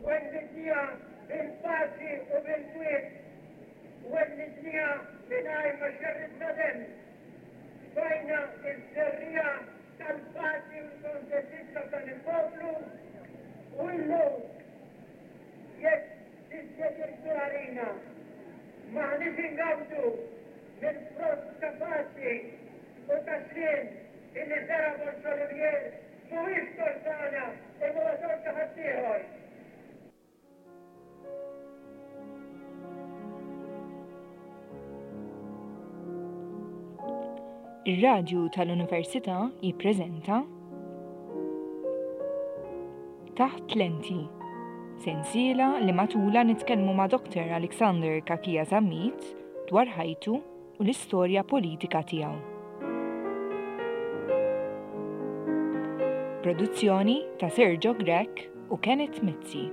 Wellidniha bil-paċi u bil-kwiet. Wellidniha mingħajr ma xerridna demm. Tfajna ż-żerriegħa tal-paċi u l-kontentizza f'dan il-poplu u illum jekk dispjaċir kbir għalina, m'aħniex ingawdu mill-frott ta' paċi u ta' sliem illi żera' Borg Olivier mhuwiex tort tagħna imma huwa tort ta' ħaddieħor. Ir-Radju tal-Università jippreżenta Taħt Lenti, sensiela li matulha nitkellmu ma' Dr. Alexander Cachia Zammit dwar ħajtu u l-istorja politika tiegħu. Produzzjoni ta' Sergio Grech u Kenneth Mizzi.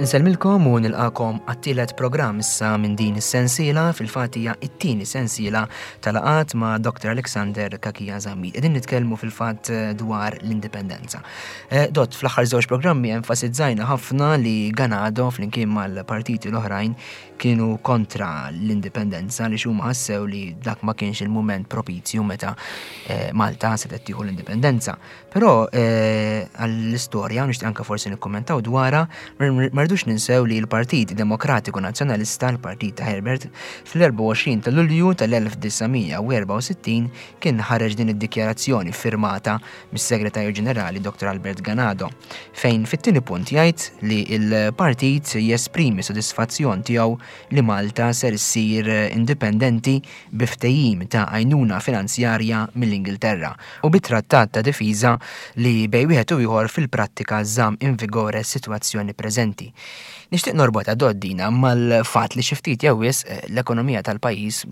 Insellmilkom u nilqakom għat-tielet programm issa minn din is-sensiela fil-fatt hija t-tieni sensiela tal-laqgħat ma' Dr. Alexander Cachia Zammit. Qegħdin nitkellmu fil-fatt dwar l-indipendenza. Eh, dott, fl-aħħar żewġ programmi enfasizzajna ħafna li Ganado flimkien mal-partiti l-oħrajn kienu kontra l-indipendenza li huma ħassew li dak ma kienx il-mument propizju meta eh, Malta setgħet tieħu l-indipendenza. Però eh, għall-istorja nixtieq anke forsi nikkummentaw dwarha, ma rridux ninsew li l-Partit Demokratiku Nazzjonalista, l-Partit ta' Herbert, fl-24 ta' Lulju tal-1964 kien ħareġ din id-dikjarazzjoni firmata mis-Segretarju Ġenerali Dr. Albert Ganado, fejn fit-tieni punt jgħid li l-partit jesprimi sodisfazzjon tiegħu li Malta ser issir indipendenti bi ftehim ta' għajnuna finanzjarja mill-Ingilterra u bi trattat ta' difiża li bejn wieħed u ieħor fil-prattika żamm in vigore s-sitwazzjoni preżenti. Nixtieq norbotha dott dina mal-fatt li xi ftit jew wisq l-ekonomija tal-pajjiż,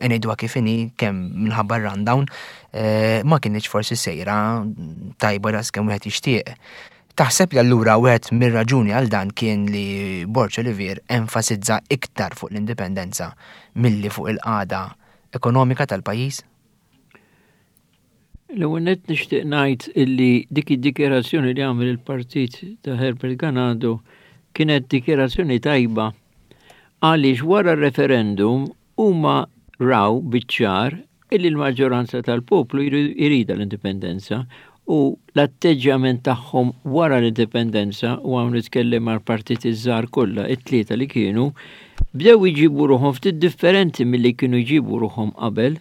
ngħiduha kif inhi kemm minħabba r-rundown, Eh, ma kinitx forsi sejra tajba daqs kemm wieħed jixtieq. Taħseb li allura wieħed mir-raġuni għal dan kien li Borg Olivier enfasizza iktar fuq l-indipendenza milli fuq il-qagħda ekonomika tal-pajjiż? L-ewwel nett nixtieq ngħid illi dik id-dikjarazzjoni li għamel il-partit ta' Herbert Ganado kienet dikjarazzjoni tajba għaliex wara r-referendum huma raw biċ-ċar illi l-maġġoranza tal-poplu jridha l-indipendenza u l-atteġġjament tagħhom wara l-indipendenza, u hawn nitkellem għall-partiti ż-żgħar kollha, it-tlieta li kienu, bdew iġibu ruħhom ftit differenti milli kienu jġibu ruħhom qabel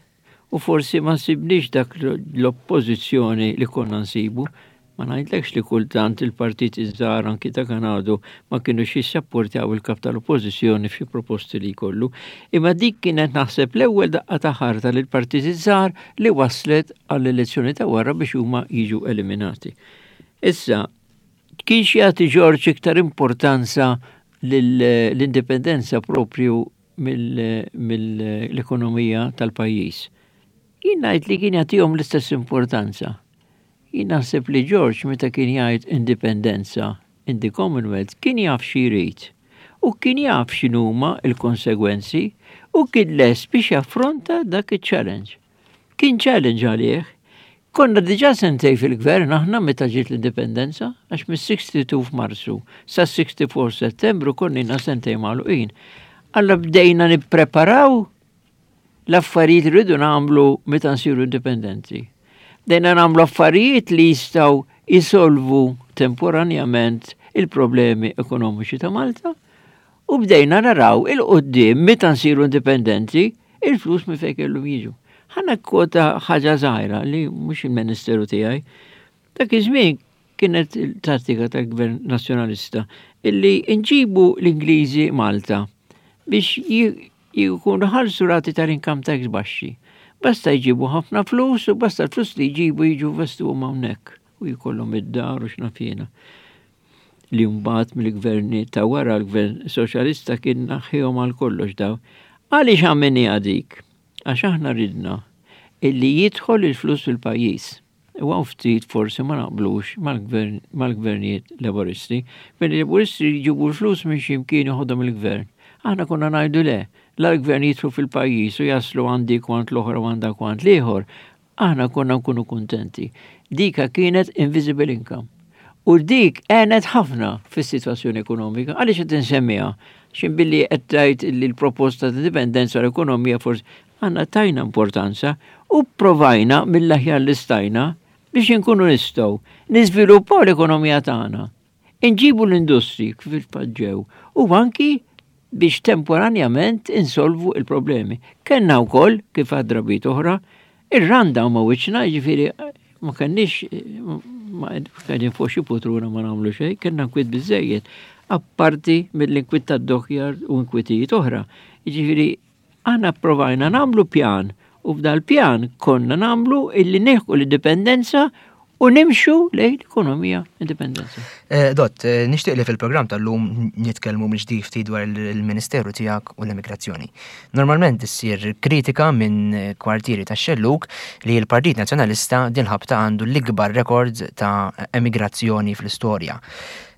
u forsi ma sibniex dak l-oppożizzjoni li konna nsibu. Ma ngħidlekx li kultant il-partiti ż-żgħar anki ta' Ganado ma kinux jissapportjaw il-kap tal-Oppożizzjoni f'xi proposti li jkollu. Imma dik kienet naħseb l-ewwel daqqa ta' ħarta lill-partiti ż-żgħar li wasslet għall-elezzjoni ta' wara biex huma jiġu eliminati. Issa, kienx jagħti Ġorġ iktar importanza lill-indipendenza proprju mill-ekonomija tal-pajjiż? Jien ngħid li kien jagħtihom l-istess importanza. Jien naħseb li George meta kien jgħid indipendenza in the Commonwealth kien jaf xi jrid u kien jaf x'inhuma l-konsegwenzi u kien lest biex jaffronta dak iċ-challenge. Kien challenge għalih. Konna diġà sentej fil-gvern aħna meta ġiet l-indipendenza, għax mis-62 f'Marzu sas-64 Settembru konna ilna sentej magħluqin. Allura bdejna nippreparaw l-affarijiet li rridu nagħmlu meta nsiru indipendenti. Bdejna nagħmlu affarijiet li jistgħu jisolvu temporanjament il-problemi ekonomiċi ta' Malta u bdejna naraw il-qoddim meta nsiru indipendenti il-flus minn fejn kellhom jiġu. Ħana kwota ħaġa żgħira li mhux il-ministeru tiegħi. Dak iż-żmien kienet il-tattika tal-Gvern Nazzjonalista illi nġibu l-Ingliżi Malta biex jkunu ħallsu rati tal-income tax baxxi. Basta jġibu ħafna flus u basta l-flus li jġibu jiġu investuhom hawnhekk u jkollhom id-dar u x'naf jiena. Li mbagħad mill-gverni ta' wara l-gvern soċjalista kien naħħihom għal kollox daw. Għaliex għamilniha dik? Għax aħna ridna illi jidħol il-flus fil-pajjiż. U hawn ftit forsi ma naqblux mal-gvernijiet Laburisti. Gvernijiet Laburisti jġibu l-flus minn xi mkien joħodhom il-gvern. Aħna konna ngħidu le, la l-gvern jidħlu fil-pajjiż u jaslu għand dik u għand l-oħra u għand dak u għand l-ieħor, aħna konna nkunu kuntenti. Dika kienet invisible income. U dik għenet ħafna fis-sitwazzjoni ekonomika. Għaliex qed insemmiha? Xin billi qed tgħid li l-proposta ta' dipendenza l-ekonomija forsi għandna tajna importanza u provajna mill-aħjar li stajna biex inkunu nistgħu niżviluppaw l-ekonomija tagħna. Inġibu l-industri kif il-fatt u anki biex temporanjament insolvu il-problemi. Kenna wkoll kif għad drabiet oħra, ir-randa ma wiċċna, jiġifieri ma kenniex ma qegħdin fuq xi putruna ma nagħmlu xejn, kellna nkwiet biżejjed, apparti mill-inkwiet tad-dockyard u inkwitijiet oħra. Jiġifieri aħna provajna nagħmlu pjan u f'dal-pjan konna nagħmlu illi neħku l-indipendenza u nimxu lejn l-ekonomija indipendenza. Eh, dott, eh, nixtieq li fil-programm tal-lum nitkellmu mill-ġdid ftit dwar il-Ministeru tiegħek u l-immigrazzjoni. Normalment issir kritika minn kwartieri tax-xellug li l-Partit Nazzjonalista din ħabta għandu l-ikbar rekord ta' emigrazzjoni fl-istorja.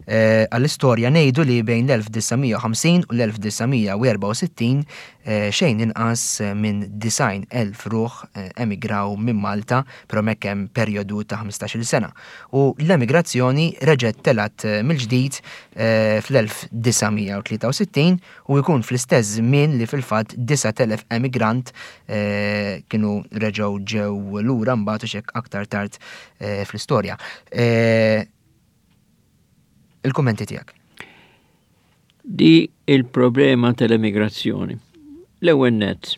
Eh, għall-istorja ngħidu li bejn l-1950 u l-1964 eh, xejn inqas minn 90,000 ruħ eh, emigraw minn Malta, però hemmhekk hemm perjodu ta' 15-il sena. U l-emigrazzjoni reġgħet telgħet mill-ġdid fl-1963 u jkun fl-istess żmien li fil-fatt 9,000 emigrant kienu reġgħu ġew lura mbagħad u xek aktar tard fl-istorja. Il-kummenti tiegħek. Di il-problema tal-emigrazzjoni. L-ewwel nett,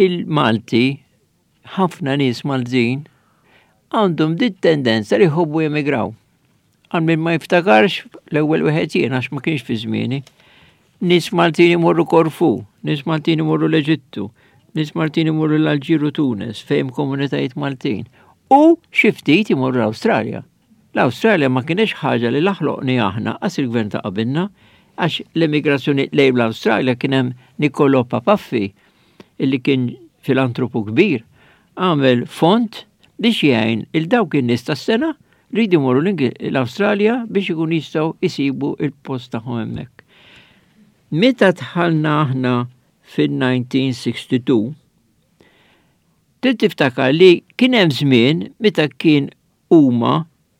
il-Malti, ħafna nies Maltin, għandhom dit tendenza li jħobbu jemigraw. Għal min ma jiftakarx l-ewwel wieħed jien għax ma kienx fi żmieni. Nies Maltin imorru Korfu, nies Maltin imorru l-Eġittu, nies Maltin imorru l-Alġiru Tunes, fejn komunitajiet Maltin. U xi ftit imorru l-Awstralja. L-Awstralja ma kinitx ħaġa li la ħloqniha aħna qas il-gvern ta' qabilna, għax l-emigrazzjoni lejn l-Awstralja kien hemm Niccolò Papaffi illi kien filantropu kbir, għamel fond biex jgħin il dawk in-nies tas-sena li jridu jmorru l-Awstralja biex ikun jistgħu jsibu il-post tagħhom hemmhekk. Meta dħalna aħna fin-1962, trid tiftakar li kien hemm żmien meta kien huma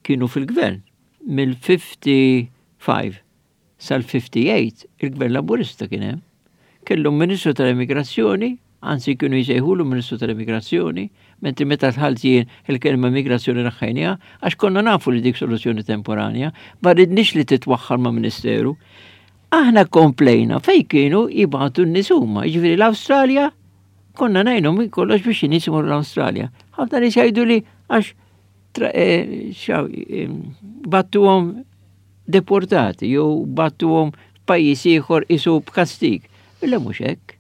kienu fil-gvern mill-55 sal-58 il-gvern laburista kien hemm. Kellhom Ministru tal-Immigrazzjoni, anzi kienu jsejħulu Ministru tal-Immigrazzjoni, mentri meta dħalt jien il-kelma immigrazzjoni naħħejniha għax konna nafu li dik soluzzjoni temporanja, ma ridniex li titwaħħal ma' ministeru. Aħna komplejna fej kienu jibgħatu n-nies huma, jiġifieri l-Awstralja konna ngħinu minn kollox biex in-nies imorru l-Awstralja. Ħafna nies jgħidu li għax eh, eh, battuhom deportati jew battuhom f'pajjiż ieħor isu b'kastig. Illa mhux hekk.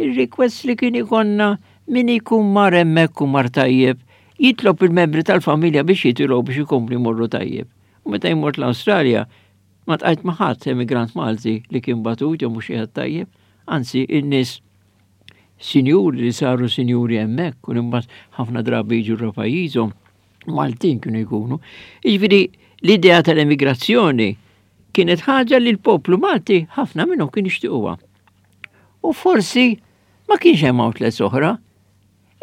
Ir-request li kien ikonna min ikun mar hemmhekk u mar tajjeb jitlob il-membri tal-familja biex jitilgħu biex ikompli jmorru tajjeb. U meta jmort l-Awstralja, ma tqajt ma' ħadd emigrant Malti li kien batut jew mhux qiegħed tajjeb, anzi in-nies sinjuri li saru sinjuri hemmhekk u imbagħad ħafna drabi jiġu ra pajjiżhom Maltin kienu jkunu. Jiġifieri l-idea tal-emigrazzjoni kienet ħaġa li l-poplu Malti ħafna minnhom kien jixtiequha. U forsi ma kienx hemm outlets oħra,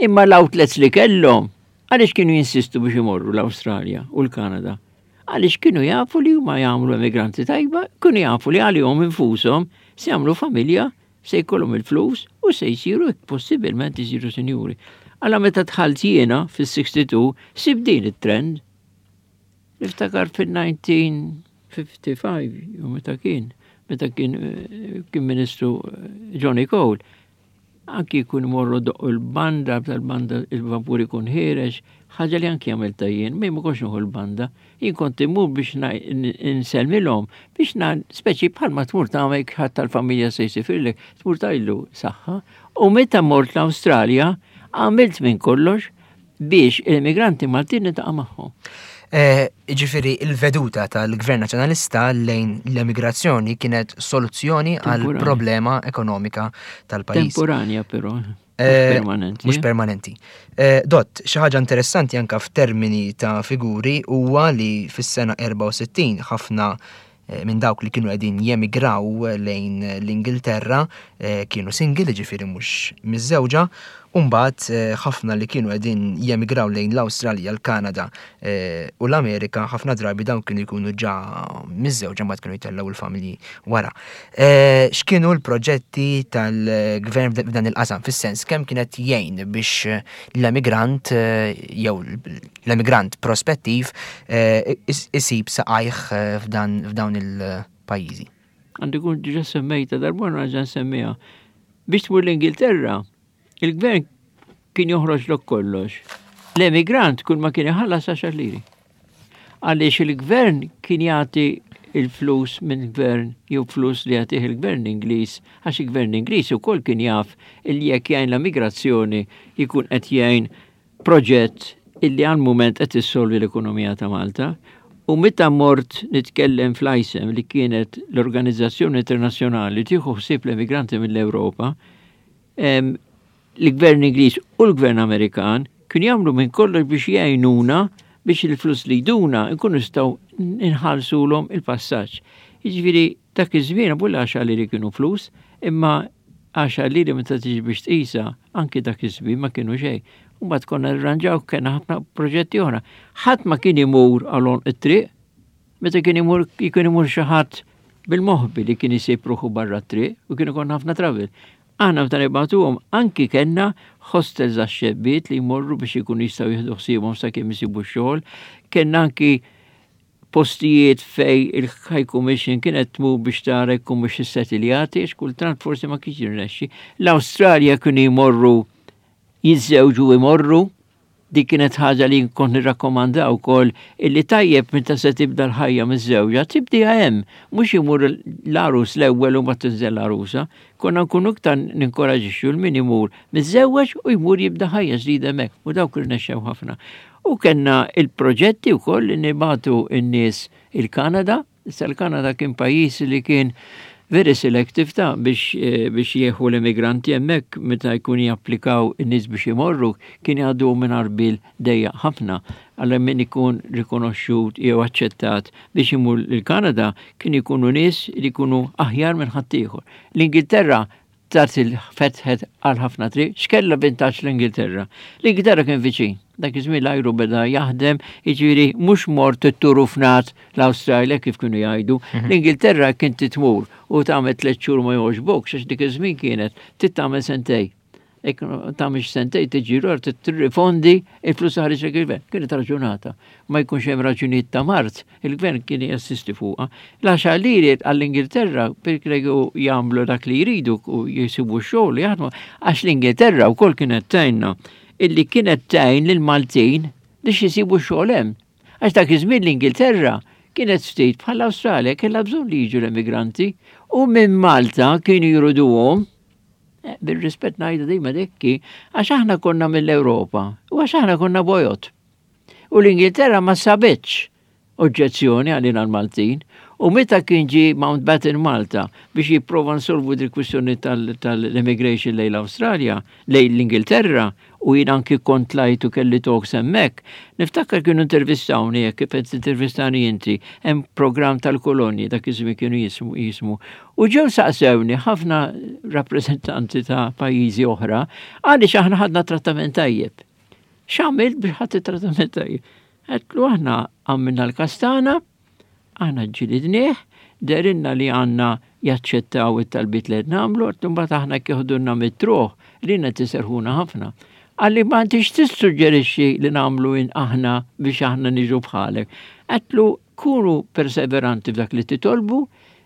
imma l-outlets li kellhom għaliex kienu jinsistu biex imorru l-Awstralja u l-Kanada. Għaliex kienu jafu li huma jagħmlu emigranti tajba, kienu jafu li għalihom infushom se jagħmlu familja se jkollhom il-flus u se jsiru possibilment isiru sinjuri. Alla meta dħalt jiena fis-62 sib din it-trend. Niftakar fil-1955 jew meta kien, meta kien eh, kien ministru eh, Johnny Cole. Anki jkun morru doqqu l-banda, tal-banda il-vapur ikun ħiereġ, ħaġa li anki għamilta jien, ma kontx nieħu l-banda. Jien kont immur biex nsellmilhom, biex na speċi bħalma tmur tagħmel ħadd tal-familja se jsifirlek, tmur tgħidlu saħħa. U meta mort l-Awstralja, għamilt minn kollox biex l-immigranti Maltin niltaqa' magħhom. Eh, ġifieri il-veduta tal-Gvern Nazzjonalista lejn l-emigrazzjoni kienet soluzzjoni għal problema ekonomika tal-pajjiż. Temporanja però. Eh, permanenti. Mhux permanenti. Eh, dott, xi ħaġa interessanti anka f'termini ta' figuri huwa li fis-sena 64 ħafna minn dawk li kienu qegħdin jemigraw lejn l-Ingilterra kienu single, jiġifieri mhux miżżewġa, u mbagħad ħafna li kienu qegħdin jemigraw lejn l-Awstralja, l-Kanada u l-Amerika, ħafna drabi dawn kienu jkunu ġa miżżewġa mbagħad kienu jtellgħu l-familji wara. X'kienu l-proġetti tal-gvern f'dan il-qasam, fis-sens kemm kienet jgħin biex l-emigrant jew l-emigrant prospettiv isib saqajh f'dawn il-pajjiżi? Għandi kun diġa semmejta darba nerġa' nsemmiha. Biex tmur l-Ingilterra, il-gvern kien joħroġlok kollox. L-emigrant kull ma kien iħallas għaxar liri. Għaliex il-gvern kien jagħti il-flus minn gvern jew flus li jagħtih il-gvern Ingliż, għax il-gvern Ingliż ukoll kien jaf illi jekk jgħin l-immigrazzjoni jkun qed jgħin proġett illi għal mument qed issolvi l-ekonomija ta' Malta. U meta mort nitkellem fl-ISEM li kienet l-Organizzazzjoni Internazzjonali tieħu ħsieb l-emigranti mill-Ewropa, l-Gvern Ingliż u l-Gvern Amerikan kienu jagħmlu minn kollox biex jgħinuna biex il-flus li jduna nkunu nistgħu nħallsulhom il-passaġġ. Jiġifieri dak iż-żmien abu l-għaxar liri kienu flus, imma għaxar liri meta tiġi biex tqisha anki dak iż-żmien ma kienu xejn. U mbagħad konna nirranġaw kellna ħafna proġetti oħra. Ħadd ma kien imur għal għonq it-triq, meta kien imur kien imur xi ħadd bil-moħbi li kien isib ruħu barra t-triq u kien ikun ħafna travel. Aħna meta nibagħtuhom anki kellna hostels għax-xebbiet li jmorru biex ikunu jistgħu jieħdu ħsiebhom sakemm isibu x-xogħol. Kellna anki postijiet fej il-High Commission kienet tmur biex tara jkun mhux issetiljati, għax kultant forsi ma kienx jirnexxi. L-Awstralja kienu jmorru jiżżewġu imorru, dik kienet ħaġa li kont nirrakkomanda wkoll illi tajjeb meta se tibda l-ħajja miż-żewġa, tibdiha hemm, mhux imur l-għarus l-ewwel u ma tinżel l-għarusa. Konna nkunu iktar ninkoraġixxu l min imur miżżewweġ u jmur jibda ħajja ġdida hemmhekk u dawk irnexxew ħafna. U kellna il-proġetti wkoll li nibagħtu n-nies il-Kanada, issa l-Kanada kien pajjiż li kien very selective ta' biex, eh, biex jieħu l-immigranti hemmhekk meta jkun japplikaw in-nies biex imorru kien jgħaddu minn arbil dejja ħafna. Għal min ikun rikonoxxut jew aċċettat biex imur l-Kanada kien ikunu nies li jkunu aħjar minn ħaddieħor. L-Ingilterra tat il-fetħet għal ħafna triq, x'kella vintaġġ l-Ingilterra? L-Ingilterra kien viċin. Dak iż-żmien l-ajru beda jaħdem, jiġifieri mhux mort it-turufnat l-Awstralja kif kienu jgħidu. L-Ingilterra kien titmur u tagħmel tliet xhur ma jogħġbokx għax dik iż-żmien kienet trid tagħmel sentej. Jekk tagħmilx sentej tiġi lura tirrifondi il-flus ħareġ il-gvern. Kienet raġunata. Ma jkunx hemm raġunijiet ta' mard, il-gvern kien jassisti fuqha. L-għaxar liri għall-Ingilterra perkregu jagħmlu dak li jridu u jisibu x-xogħol jaħdmu għax l-Ingilterra wkoll kienet tgħinna illi kienet tgħin lill-Maltin biex jisibu xogħol hemm. Għax dak iż-żmien l-Ingilterra kienet ftit bħall-Awstralja kellha bżonn li jiġu l-emigranti u minn Malta kienu jriduhom Eh, bil-rispett ngħidu dejjem dekki, għax aħna konna mill-Ewropa u għax aħna konna bojot. U l-Ingilterra ma sabitx oġġezzjoni għalina l-Maltin u meta kien ġi Mountbatten Malta biex jipprova nsolvu dil kwistjoni tal-immigration lejn l-Awstralja, lejn l-Ingilterra, u jien anki kont tlajt u kelli talks hemmhekk, niftakar kienu intervistawni hekk kif qed tintervistani inti, hemm programm tal-kolonji dak iż-żmien kienu jismu jismu. U ġew saqsewni ħafna rappreżentanti ta' pajjiżi oħra għaliex aħna ħadna trattament tajjeb. X'għamilt biex ħadd it-trattament tajjeb? Għedtlu aħna għamilna l-kastana, Aħna ġġilidnieh, dehrilna li għandna jaċċettaw it-talbiet li qed nagħmlu, għedt imbagħad aħna jekk jeħdulna mit-truħ, lilna qed iserrħuna ħafna. Qalli ma intix tissuġġerixxi li nagħmlu aħna biex aħna niġu bħalek. Għedtlu kunu perseveranti f'dak li titolbu,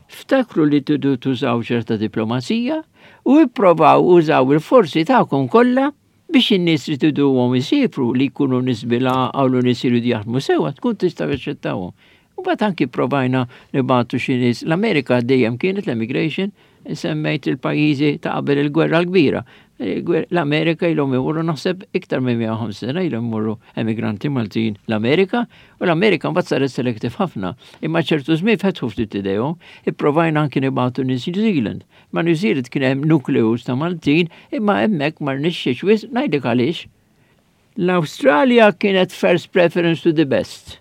ftakru li tridu tużaw ċerta diplomazija u ipprovaw użaw il-forzi tagħkom kollha biex in-nies li triduhom isiefru li jkunu nies bil-għaqal u nies jridu jaħdmu sewwa tkun tistgħu jaċċettawhom. U mbagħad anki provajna nibgħatu xi nies. L-Amerika dejjem kienet l-emigration, semmejt il-pajjiżi ta' qabel il-gwerra l-kbira. L-Amerika ilhom imorru naħseb iktar minn 150 sena ilhom imorru emigranti Maltin l-Amerika u l-Amerika mbagħad saret selective ħafna. Imma ċertu żmien fetħu ftit idejhom, ipprovajna anki nibgħatu nies New Zealand. Ma' New Zealand kien hemm nukleus ta' Maltin, imma hemmhekk ma rnexxiex wisq, ngħidlek għaliex. L-Awstralja kienet first preference to the best.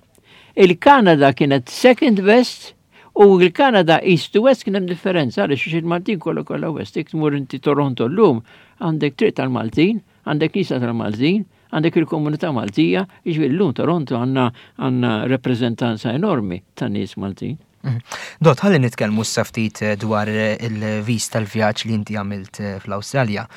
Il-Kanada kienet second best U l-Kanada East to West kien hemm differenza għaliex il-Maltin kollha kollha West. Jekk tmur inti Toronto llum għandek triq tal-Maltin, għandek knisja tal-Maltin, għandek il-komunità Maltija, jiġifieri llum Toronto għandna għandna rappreżentanza enormi ta' nies Maltin. Dott, ħalli nitkellmu issa ftit eh, dwar eh, il-viż tal-vjaġġ li inti għamilt eh, fl-Awstralja.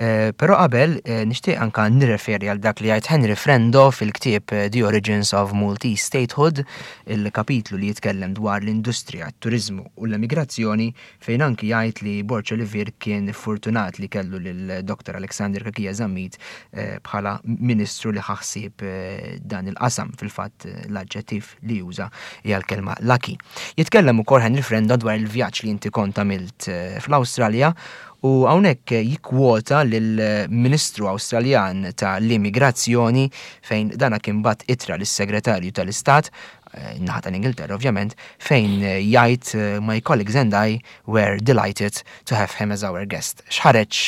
Però qabel nixtieq anka nirreferi għal dak li jgħid Henry Frendo fil-ktieb The Origins of Maltese Statehood, il-kapitlu li jitkellem dwar l-industrija, t-turiżmu u l-emigrazzjoni fejn anki jgħid li Borg Olivier kien fortunat li kellu lil Dr. Alexander Cachia Zammit eh, bħala ministru li ħa ħsieb eh, dan il-qasam fil-fatt eh, l-aġġettiv li juża hija l-kelma lucky. Jitkellem ukoll Henry Frendo dwar il-vjaġġ li inti kont għamilt fl-Awstralja u hawnhekk jikkwota lill-Ministru Awstraljan ta' l-Immigrazzjoni fejn dana kien bagħat ittra lis-Segretarju tal-Istat naħa tal-Ingilterra ovvjament, fejn jgħid my colleagues and I were delighted to have him as our guest. X'ħareġ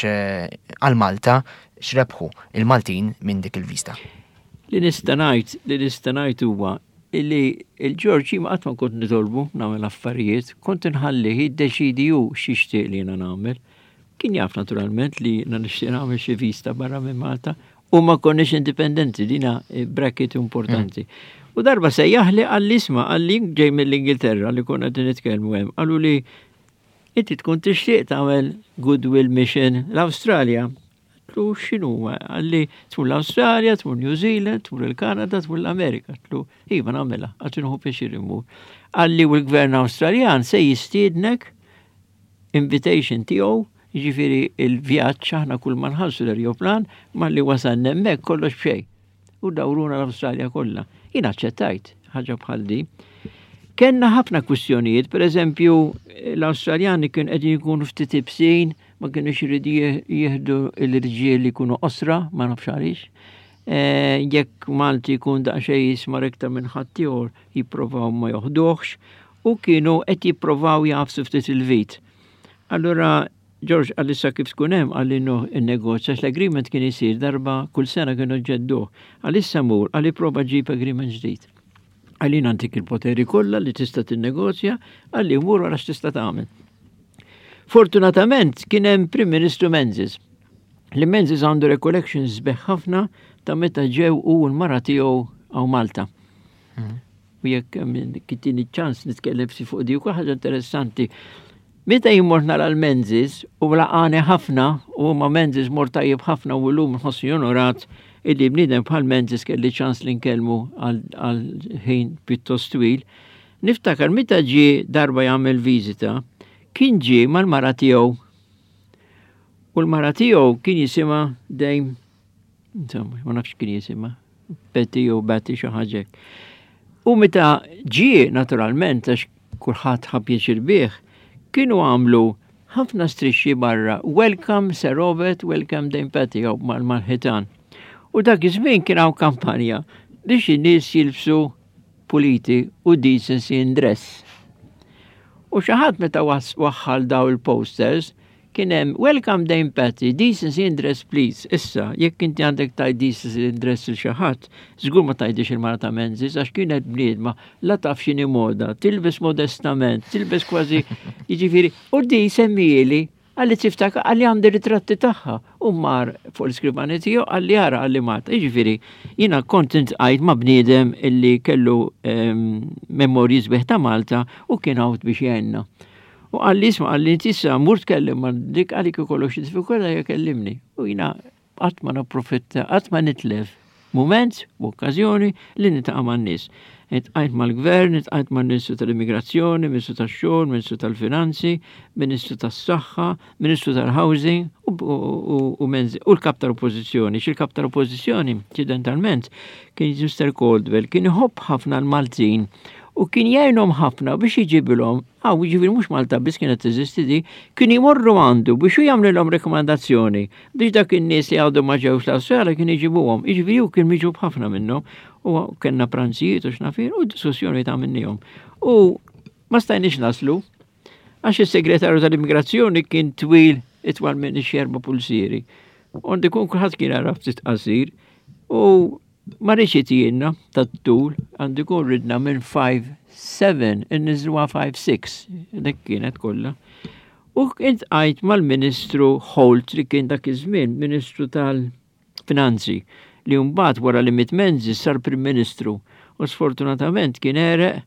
għal Malta, x'rebħu il-Maltin minn dik il-vista? Li nista' ngħid, li nista' ngħid huwa illi il-Ġorġ jien qatt ma kont nitolbu nagħmel affarijiet, kont inħallih jiddeċidi hu x'jixtieq li jiena nagħmel. Kien jaf naturalment li jiena nixtieq nagħmel xi vista barra minn Malta u ma konniex indipendenti, dina eh, bracket importanti. Mm. U darba sejjaħli għalli isma' għalli ġej mill-Ingilterra li konna qed nitkellmu hemm, qalu li inti tkun tixtieq tagħmel goodwill mission l-Awstralja. Tlu x'inhu għalli tmur l-Awstralja, tmur New Zealand, tmur il-Kanada, tmur l-Amerika. Tlu iva nagħmilha, għax inħu pjaċir immur. Għalli u l-gvern Awstraljan se jistiednek invitation tiegħu, jiġifieri il-vjaġġ aħna kull ma nħallsu l-erjoplan malli wasalna hemmhekk kollox b'xejn. U dawruna l-Awstralja kollha. Jien aċċettajt ħaġa bħal di. Kenna ħafna kwistjonijiet, per eżempju, l-Awstraljani kien qegħdin jkunu ftit ibsin, ma kienux iridu jieħdu l-irġiel li jkunu qosra, ma nafx għaliex. Eh, jekk Malti jkun daqsxejn jismar iktar minn ħaddieħor jipprovaw ma joħduhx u kienu qed jipprovaw jagħfsu ftit il-vit. Allura George qalli issa kif tkun hemm qalli innegozja għax l-agreement kien isir darba kull sena kienu ġedduh. Qalli issa mur, qalli prova ġib agreement ġdid. Qalli jien għandik il-poteri kollha li tista' tinnegozja, qalli mur wara x'tista' tagħmel. Fortunatament kien hemm Prim Ministru Menzies. Li Menzies għandu recollections sbeħ ħafna ta' meta ġew u l-mara tiegħu hawn Malta. Mm. U jekk kitini ċans nitkellem ftit fuq di ukoll ħaġa interessanti. Meta jien mort nara l-Menzies u laqani ħafna u ma Menzies mort tajjeb ħafna u llum nħossni onorat illi bniedem bħal Menzies kelli ċans li nkellmu għal ħin pjuttost twil. Niftakar meta ġie darba jagħmel viżita, kien ġie mal-mara tiegħu. U l-mara tiegħu kien jisimha Dame Insomma, ma nafx kien jisimha. Betty jew Betty xi ħaġa U meta ġie naturalment għax kulħadd ħa pjaċir bih, kienu għamlu ħafna strixxi barra Welcome Sir Robert, Welcome Dame Patty jew mal-ħitan. U dak iż-żmien kien hawn kampanja biex in-nies jilbsu puliti u decency in dress. U xi ħadd meta waħħal daw il-posters, Kien hemm Welcome Dame Patty, decency in dress please. Issa, jekk inti għandek tgħid decency in dress lil xi ħadd, żgur ma tgħidix il-mara ta' Menzies għax kienet bniedma la taf x'inhi moda, tilbes modestament, tilbes kważi jiġifieri u di semmieli għalli tiftakar għalli għandi ritratti tagħha u mar fuq l-iskrivani tiegħu għalli ara għalli Malta. Jiġifieri jiena kont intqajt ma' bniedem illi kellu ehm, memorji sbieħ ta' Malta u kien hawn biex jgħinna. U qalli isma' qalli inti issa mur tkellem ma' dik qalli kif ikollok xi diffikultà hija kellimni. U jiena qatt ma napprofitta, qatt ma nitlef mument u okkażjoni li niltaqa' man-nies. Iltqajt mal-gvern, iltqajt mal-Ministru tal-Immigrazzjoni, Ministru tax-Xogħol, Ministru tal-Finanzi, Ministru tas-Saħħa, Ministru tal-Housing u u l-Kap tal-Oppożizzjoni. X'il-Kap tal-Oppożizzjoni, inċidentalment, kien Mr. Caldwell, kien iħobb ħafna l-Maltin u kien jgħinhom ħafna biex iġibilhom Aw, jiġifieri mhux Malta biss kienet teżisti di, kienu jmorru għandu biex hu jagħmlilhom rekomandazzjoni biex dak in-nies li għadu ma ġewx l-Awstralja kien iġibuhom. Jiġifieri hu kien miġub ħafna minnhom u kellna pranzijiet u x'nafir u diskussjoni ta' minnihom. U ma stajniex naslu għax is-segretarju tal-immigrazzjoni kien twil itwal minn xi erba' pulsieri. Għandi kun kulħadd kien għaraf ftit qasir u Ma rridx itijielna tat-tul, għandu jkun ridna minn 5-7 inniżluha 5-6, dik kienet kollha. U iltqajt mal-Ministru Holt li kien dak iż-żmien Ministru tal-Finanzi li mbagħad wara li miet Menzies sar Prim Ministru u sfortunatament kien għereq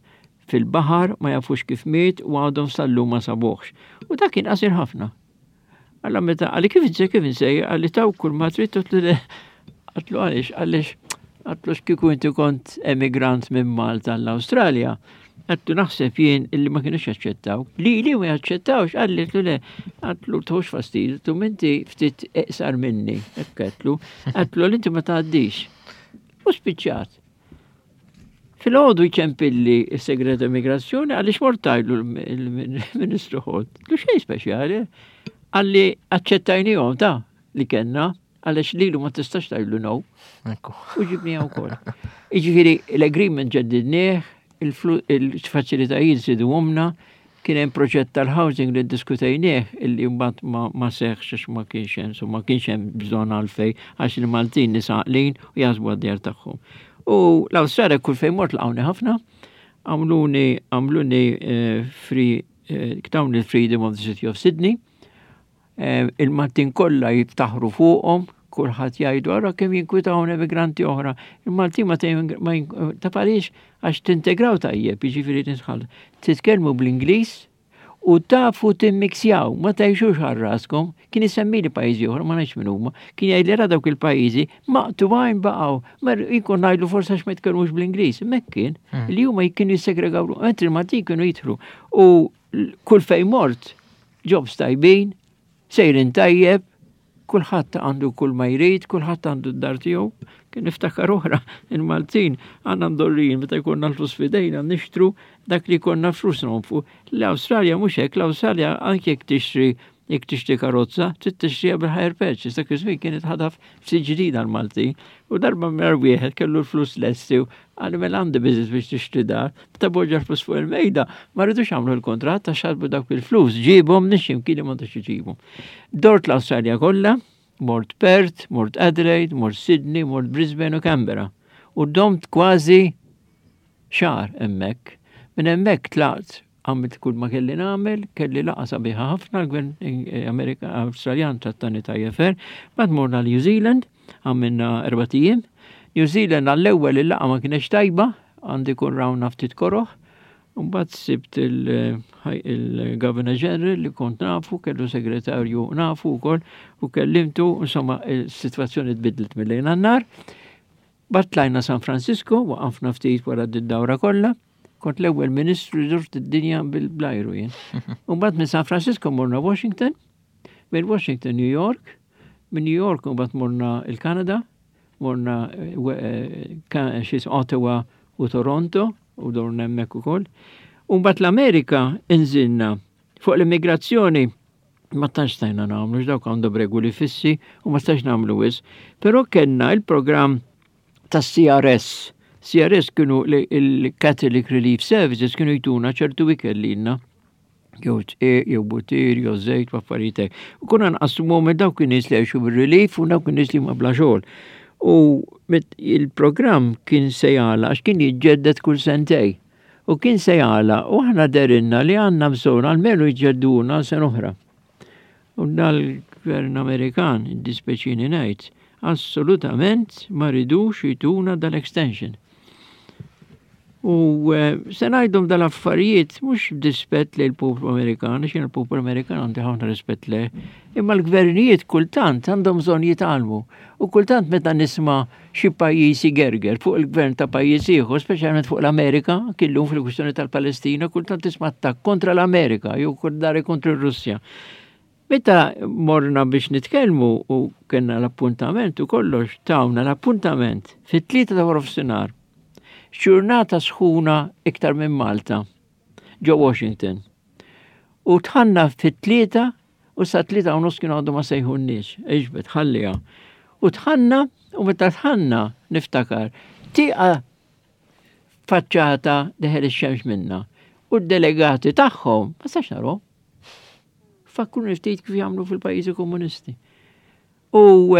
fil-baħar ma jafux kif miet u għadhom sal-lum ma sabuhx. U dak kien qasir ħafna. Alla meta għalli kif insej kif insej għalli taw kull ma trid għatlu le għatlu għaliex għaliex għatlu x'kieku inti kont emigrant minn Malta l-Awstralja. Għatlu naħseb jien illi ma kienux jaċċettaw. Li li ma jaċċettawx għalli għatlu le għatlu tħux fastidju tu minti ftit iqsar minni. Hekk għatlu għatlu l inti ma tgħaddix. U spiċċat. Filgħodu jċempilli s-segretarju immigrazzjoni għaliex mort tajlu l-Ministru Holt. Lu xejn speċjali. Għalli aċċettajnihom ta' li kellna għaliex lilu ma tistax tajlu no. U ġibniha wkoll. Jiġifieri l-agreement ġeddidnieh, il-faċilitajiet żiduhomna, Kien hemm proġett tal-housing li ddiskutejnieh illi mbagħad ma, ma seħħx għax ma kienx hemm, so ma kienx hemm bżonn għalfejn għax il-Maltin nies għaqlin u jaħsbu għad-djar tagħhom. U l-Awstralja kull fejn mort laqgħuni ħafna, għamluni għamluni eh, free eh, tawni l-Freedom of the City of Sydney. Eh, il-Maltin kollha jiftaħru fuqhom, kulħadd jgħidu ara kemm jinkwitawhom emigranti oħra. Il-Maltin ma taf għaliex għax tintegraw tajjeb, jiġifieri tisħal. Titkellmu bl-Ingliż u tafu timmiksjaw, ma tgħixux għal raskom. Kien isemmili pajjiżi oħra, ma ngħidx min huma. Kien jgħidli ra dawk il-pajjiżi maqtugħin baqgħu. Ma jkun ngħidlu forsi għax ma jitkellmux bl-Ingliż. Hemmhekk kien hmm. li huma kienu jissegregaw, mentri il-Maltin kienu jidħlu. U kull fejn mort, jobs tajbin, sejrin tajjeb, kulħadd għandu kull ma jrid, kulħadd għandu d-dar tiegħu. Kien niftakar oħra, il-Maltin għandna mdorrijin meta jkollna l-flus f'idejna nixtru dak li jkollna flus nonfqu. L-Awstralja mhux hekk, l-Awstralja anke jekk tixtri jekk tixtri karozza, trid tixtriha bil-hire purchase, dak iż-żmien kienet ħadha ftit ġdida l-Maltin. U darba minn wieħed kellu l-flus lesti Qalli mela għandi business biex tixtri dar, meta poġġa l-flus fuq il-mejda, ma rridux għamlu l-kuntratt għax ħasbu dawk il-flus ġiebhom minn xi mkien li m'għandux iġibhom. Dort l-Awstralja kollha, mort Perth, mort Adelaide, mort Sydney, mort Brisbane u Canberra. U domt kważi xahar hemmhekk. Minn hemmhekk tlaqt għamilt kull ma kelli nagħmel, kelli laqgħa sabiħa ħafna l-gvern eh, Amerika Awstraljan trattani tajjeb fer, bad morna New Zealand, Għamilna erbat ijiem. New Zealand għall-ewwel il-laqgħa ma kienx tajba, għandi kun rawna ftit koroħ. Mbagħad sibt il-Governor General li kont nafu, kellu segretarju nafu wkoll u kellimtu, insomma, is-sitwazzjoni tbidlet mill-lejl għan-nar. Mbagħad tlajna San Francisco, waqafna ftit wara d-dawra kollha. Kont l-ewwel ministru li durt id-dinja bil-blajru jien. U mbagħad minn San Francisco morna Washington, minn Washington New York, Minn New York mbagħad morna il-Kanada, morna eh, eh, Ottawa u Toronto u dorna hemmhekk ukoll. U mbagħad l-Amerika inżilna fuq l-immigrazzjoni ma tantx stajna nagħmlu dawk għandhom regoli fissi u ma stajx nagħmlu wis. Però kellna il-programm tas-CRS. CRS kienu il-Catholic Relief Services kienu jtuna ċertu ikel lilna. jew tqiq, jew butir, jew żejt, u affarijiet hekk. U konna nqassmuhom minn dawk in-nies li għexu bir-relief u dawk in-nies li huma bla xogħol. U il-programm kien se jagħlaq għax kien jiġġedded kull sentej. U kien se jagħlaq u aħna derinna li għandna bżonn almenu jġedduna għal sena oħra. U dal-gvern Amerikan, id-dispeċini ngħid, assolutament ma ridux jtuna dal-extension. U eh, se ngħidhom dal-affarijiet mhux b'dispett lejn il-poplu Amerikan, għax jien il-poplu Amerikan għandi ħafna rispett leh, imma l-gvernijiet kultant għandhom bżonn jitgħallmu. U kultant meta nisma' xi pajjiż igerger fuq il-gvern ta' pajjiż ieħor, speċjalment fuq l-Amerika, killum fil-kwistjoni tal-Palestina, kultant tisma' attakk kontra l-Amerika jew dari kontra r-Russja. Meta morna biex nitkellmu u kellna l-appuntament u kollox, tawna l-appuntament fit-tlieta ta' waranofsinhar. Ġurnata sħuna iktar minn Malta, ġo Washington. U dħalna fit-tlieta u sa 3:30 kienu għadhom ma sejħulniex, iġbed, ħalliha. U dħalna u meta dħalna niftakar, tieqa faċċata deħel ix-xemx minna. U d-delegati tagħhom ma stax narhom. Fakkruni ftit kif jagħmlu fil-pajjiżi komunisti. U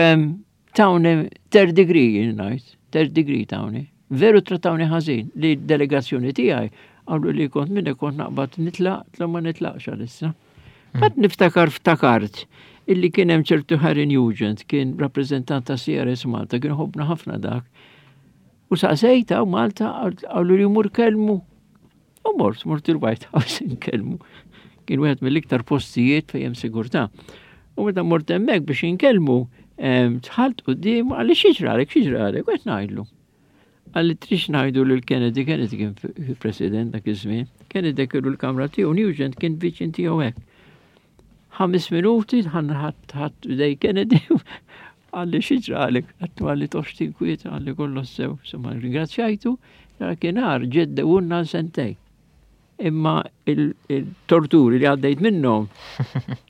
tawni third degree ngħid. Third degree tawni. Veru trattawni ħażin li d-delegazzjoni tiegħi għallu li kont minni kont naqbad nitlaq, tla ma nitlaqx għalissa. Hmm. Bat niftakar ftakart illi kien hemm ċertu Harry Nugent, kien rappreżentant ta' CRS Malta, kien ħobna ħafna dak. U saqsejta u Malta għallu li mur kelmu. U mort, mort il-White House inkellmu. Kien wieħed mill-iktar postijiet fejn hemm sigurtà. U meta mort hemmhekk biex inkellmu, dħalt quddiem qalli xi ġralek, xi ġralek, u qed ngħidlu. Qalli trix ngħidu lil Kennedy, Kennedy kien president dak iż-żmien, Kennedy kellu l-kamra tiegħu, Nugent kien viċin tiegħu hekk. Ħames minuti ħadd ħadd idej Kennedy Qalli xi ġralek? Għedtlu qalli toqgħodx tinkwieta, qalli kollox sew. Insomma, ringrazzjajtu, dakinhar ġeddewulna għal sentejn. Imma il-torturi li għaddejt minnhom,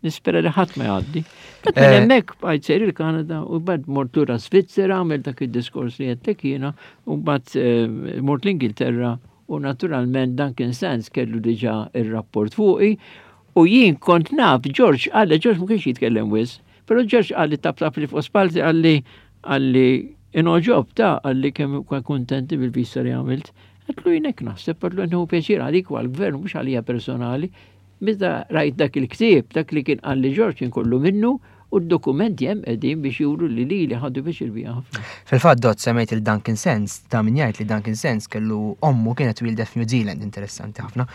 nispera li ħadd ma jgħaddi. Bat minn eh. hemmhekk bqajt sejr il-Kanada u bad mort lura Svizzera għamel dak id-diskors li għedtlek jiena u mbagħad eh, mort l-Ingilterra u naturalment Duncan Sands kellu diġà ir-rapport fuqi u jien kont naf George qalli George ma kienx jitkellem wisq Però Ġorġ qalli taptap li fuq spalti qalli qalli inoġob ta' qalli kemm kuntenti bil-vista li għamilt. Għedtlu jien hekk naħseb, għedtlu nieħu pjaċir għalik u għall-gvern mhux għalija personali. Meta rajt dak il-ktieb, dak li kien qalli Ġorġ kien kollu minnu u d-dokumenti hemm qegħdin biex juru li lili ħadu pjaċir bija ħafna. Fil-fatt Dott semmejt il Duncan Sands, ta' min jgħid li Duncan Sands kellu ommu kienet twieldet f'New Zealand, interessanti ħafna.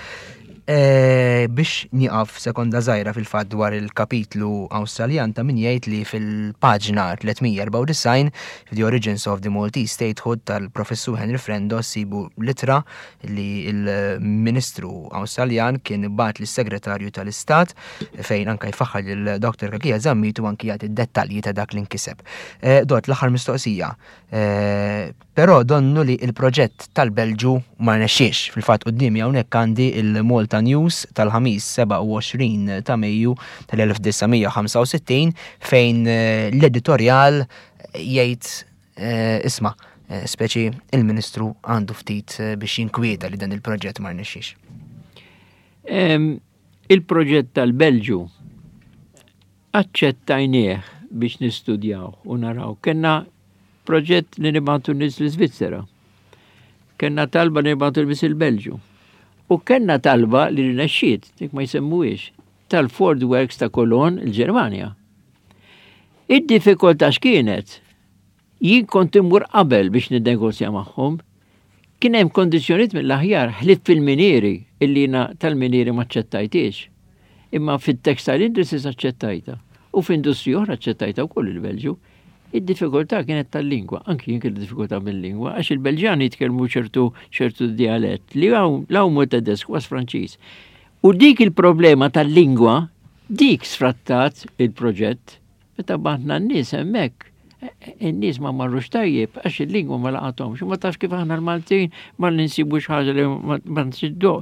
E, biex nieqaf sekonda żgħira fil-fatt dwar il-kapitlu Awstraljan ta' min jgħid li fil-paġna 394 The Origins of the Maltese Statehood tal-Professur Henry Frendo sibu litra li l-Ministru Awstraljan kien bagħat lis-Segretarju tal-Istat fejn anka jfaħħar lil Dr. Kakia Zammit u anki jagħti dettalji ta' dak li nkiseb. E, Dot, l-aħħar mistoqsija. E, Però donnu li l-proġett tal-Belġu ma rnexxiex. Fil-fatt quddiemi hawnhekk għandi l-Malta News tal-Ħamis 27 ta' Mejju tal-1965 fejn l-editorjal jgħid isma' speċi il-Ministru għandu ftit biex jinkwieta li dan il-proġett ma rnexxiex. Il-proġett tal-Belġu aċċettajnieh biex nistudjaw u naraw. Kenna proġett li nibgħatu nies l-Iżvizzera. Kenna talba li nibgħatu nies il-Belġu. U kenna talba li rnexxiet, dik ma jsemmuhiex, tal-Ford Works ta' Cologne, il-Ġermanja. Id-diffikultà x'kienet? Jien kont immur qabel biex ninnegozja magħhom. Kien hemm kondizzjonijiet mill-aħjar ħlief fil-minieri illi jiena tal-minieri m'aċċettajthiex. Imma fit-textile industries aċċettajtha u f'industriji oħra aċċettajtha wkoll il-Belġju. Id-diffikultà kienet tal-lingwa, anki jien kelli diffikultà bil-lingwa għax il-Belġjani jitkellmu ċertu ċertu dialett li hawn la huma Tedesk was Franċiż. U dik il-problema tal-lingwa dik sfrattat il-proġett Meta bagħatna n-nies hemmhekk, in-nies ma marrux tajjeb għax il-lingwa ma laqathomx. Ma tafx kif aħna l-Maltin ma ninsibu xi ħaġa li ma nsiddu.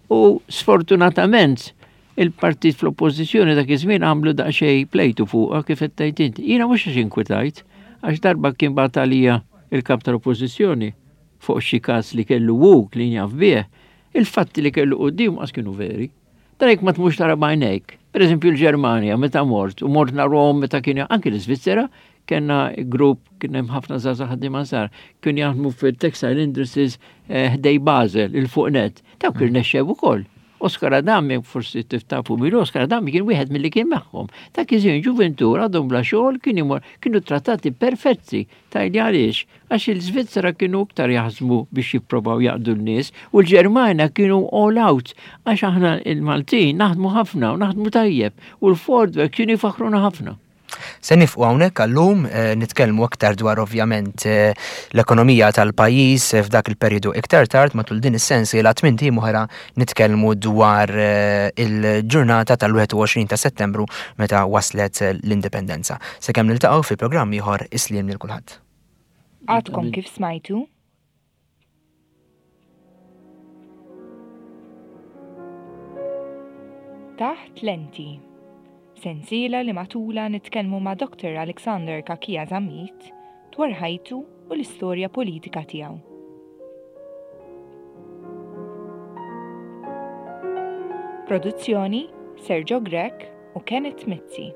U sfortunatament il-partit fl-oppożizzjoni dak iż-żmien għamlu daqsxejn plejtu fuqha kif qed tgħid inti. Jiena mhux għax inkwitajt, għax darba kien bagħat għalija il-kap tal-oppożizzjoni fuq xi każ li kellu hu li jaf bih, il-fatti li kellu quddiem qas kienu veri. Dan jekk ma tmux tara b'għajnejk. Per eżempju l-Ġermanja meta mort u mort narhom meta kien anki l-Iżvizzera kellna grupp kien hemm ħafna żgħażagħ ħaddiema żgħar kien jaħdmu fil-textile industries eh, ħdej Basel il fuq net. Dawk mm. irnexxew ukoll. Oskar Adami, forsi tiftafu mill Oskar Adami kien wieħed mill-li kien magħhom. Ta' kien ġuventur għadhom bla xogħol kien imur kienu trattati perfetti. Tajli għaliex? Għax il-Svizzera kienu iktar jaħsbu biex jipprovaw jaqdu n-nies u l-Ġermanja kienu all out għax aħna il-Maltin naħdmu ħafna u naħdmu tajjeb u l-Ford Works kienu jfaħħruna ħafna. Se nifqu hawnhekk għallum eh, nitkellmu aktar dwar ovvjament eh, l-ekonomija tal-pajjiż eh, f'dak il-perjodu iktar tard matul din is-sensiela tmien tim oħra nitkellmu dwar il-ġurnata tal-21 ta' Settembru meta waslet l-indipendenza. Sakemm niltaqgħu fi programm ieħor isliem lil kulħadd. Għadkom kif smajtu? Taħt Lenti. Sensiela li matula nitkellmu ma' Dr. Alexander Cachia Zammit dwar ħajtu u l-istorja politika tiegħu. Produzzjoni Sergio Grech u Kenneth Mizzi.